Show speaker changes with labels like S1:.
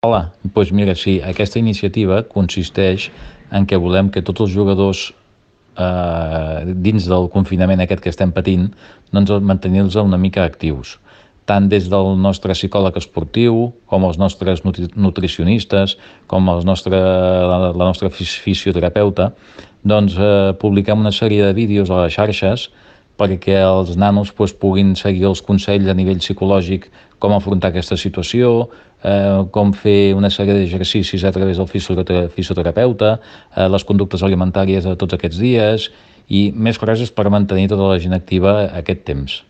S1: Hola, doncs mira, sí, aquesta iniciativa consisteix en què volem que tots els jugadors dins del confinament aquest que estem patint, doncs mantenir-los una mica actius, tant des del nostre psicòleg esportiu, com els nostres nutricionistes, com la nostra fisioterapeuta, doncs publiquem una sèrie de vídeos a les xarxes perquè els nanos puguin seguir els consells a nivell psicològic, com afrontar aquesta situació, com fer una sèrie d'exercicis a través del fisioterapeuta, les conductes alimentàries de tots aquests dies i més coses per mantenir tota la gent activa aquest temps.